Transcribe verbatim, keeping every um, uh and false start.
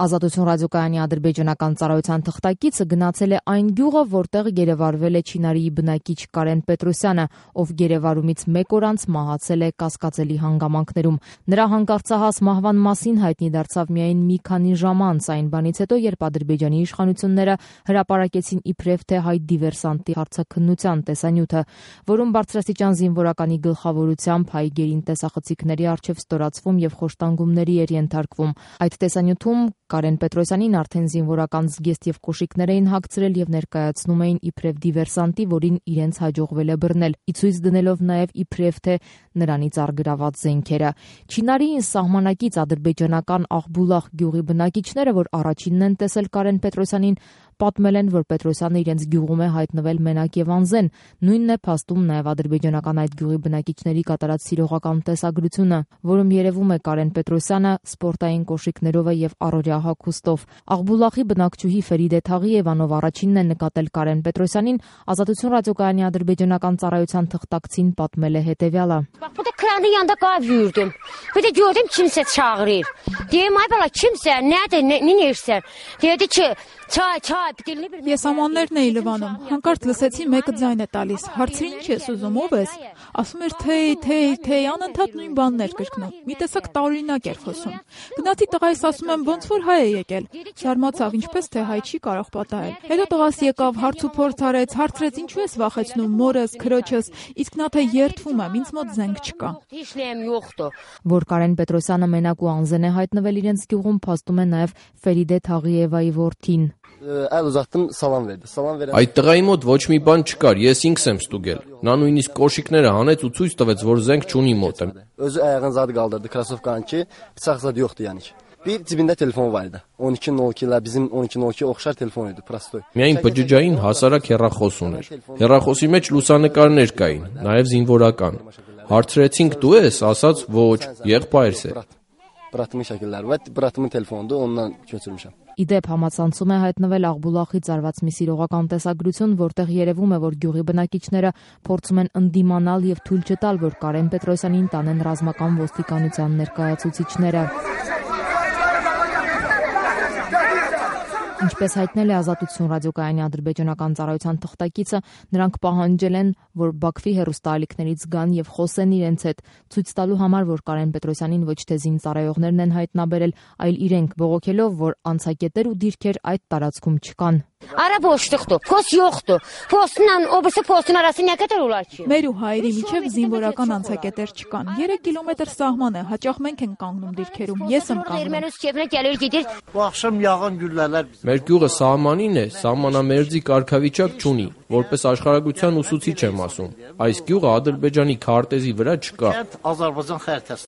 Ազատություն ռադիոկայանի ադրբեջանական ծառայության թղթակիցը գնացել է այն գյուղը, որտեղ գերեվարվել է Չինարիի բնակիչ Կարեն Պետրոսյանը, ով գերեվարումից մեկ օր անց մահացել է կասկածելի հանգամանքներում։ Նրա հանկարծահաս մահվան մասին հայտնի դարձավ միայն մի քանի ժամ անց, այն բանից հետո, երբ Ադրբեջանի իշխանությունները հրապարակեցին իբրև թե հայ դիվերսանտի հարցաքննության տեսանյութը, որում բարձրաստիճան զինվորականի գլխավորությամբ հայ գերին տեսախցիկների առջև ստորացվում եւ խոշտանգումների էր ենթարկվում։ Այդ տեսանյութում Կարեն Պետրոսյանին արդեն զինվորական զգեստ եւ կոշիկներ էին հագցրել եւ ներկայացնում էին իբրև դիվերսանտի, որին իրենց հաջողվել է բռնել, ի ցույց դնելով նաեւ իբրև թե նրանից առգրաված զենքերը։ Չինարիին սահմանակից ադրբեջանական Աղբուլախ գյուղի բնակիչները, որ առաջինն են տեսել Կարեն Պետրոսյանին, պատմել են, որ Պետրոսյանը իրենց գյուղում է հայտնվել մենակ եւ անզեն։ Նույնն է փաստում նաեւ ադրբեջանական այդ գյուղի բնակիչների կատարած սիրողական տեսագրությունը, որում երևում է Կարեն Պետրոսյանը սպորտային կոշիկներով եւ առօրյա հագուստով։ Աղբուլախի բնակչուհի Ֆերիդե Թաղիևանով առաջինն է նկատել Կարեն Պետրոսյանին, Ազատություն ռադիոկայանի ադրբեջանական ծառայության թղթակցին պատմել է հետեւյալը. Burada kranın yanında qav yürüdüm. Bir de gördüm kimsə çağırır. Deyim ay bala kimsə, nədir, nə edirsən? Dedi ki, çay, çay, dilini bilmirəm. Ես ամաններն էի լվանում, հանկարծ լսեցի մեկը ձայն է տալիս, հարցրի ինչ ես ուզում, ով ես, ասում էր թեյ, թեյ, թեյ, անընդհատ նույն բաններ կրկնում, մի տեսակ տարօրինակ էր խոսում, գնացի տղայիս ասում եմ ոնց որ հայ է եկել, զարմացավ ինչպես թե հայ չի կարող պատահել, հետո տղաս եկավ, հարց ու փորձ արեց, հարցրեց ինչու ես վախեցնում մորս, քրոջս, իսկ նա թե երդվում եմ, ինձ մոտ զենք չկա։ Որ Կարեն Պետրոսյանը մենակ ու անզեն է հայտնվել իրենց գյուղում, փաստում է նաև Ֆերիդե Թաղիևայի որդին։ Այլ ուզատdım salam verdi. Salam verən Այդ տղայի մոտ ոչ մի բան չկար, ես ինքս եմ ստուգել։ Նա նույնիսկ կոշիկները հանեց ու ցույց տվեց, որ զենք չունի մոտը։ Özü ayağını zad qaldırdı, krasovkanı ki, bıçaq zad yoxdu yəni ki. Bir cibində telefon var idi. on iki nol iki-lər bizim on iki nol iki oxşar telefon idi, prostoy. Միայն բջջային հասարակ հեռախոս ուներ։ Հեռախոսի մեջ լուսանկարներ կային, նաև զինվորական։ Հարցրեցինք դու ես, ասաց ոչ, եղբայրս է։ Bratımın şəkilləri var, bratımın telefonudur, ondan götürmüşəm։ Իդեպ համացանցում է հայտնվել Աղբուլախից արված մի սիրողական տեսագրություն, որտեղ երևում է, որ գյուղի բնակիչները փորձում են ընդդիմանալ եւ թույլ չտալ, որ Կարեն Պետրոսյանին տանեն ռազմական ոստիկանության ներկայացուցիչները։ Ինչպես հայտնել է Ազատություն ռադիոկայանի ադրբեջանական ծառայության թղթակիցը, նրանք պահանջել են, որ Բաքվի հեռուստաալիքներից գան եւ խոսեն իրենց հետ, ցույց տալու համար, որ Կարեն Պետրոսյանին ոչ թե զինծառայողներն են հայտնաբերել, այլ իրենք, բողոքելով, որ անցակետեր ու դիրքեր այդ տարածքում չկան։ Ara boşluqdur, post yoxdur. Postla o birisi postun arası nə qədər olar ki? Մեր ու հայերի միջև զինվորական անցակետեր չկան։ երեք կիլոմետր սահման է, հաճախ մենք ենք կանգնում դիրքերում, ես եմ կանգնում։ Erməni öz keyfinə gəlir, gedir. Bu axşam yağan güllələr bizim. Մեր գյուղը սահմանին է, սահմանամերձի կարգավիճակ չունի, որպես աշխարհագրության ուսուցիչ եմ ասում։ Այս գյուղը Ադրբեջանի քարտեզի վրա չկա։ Azərbaycan xəritəsi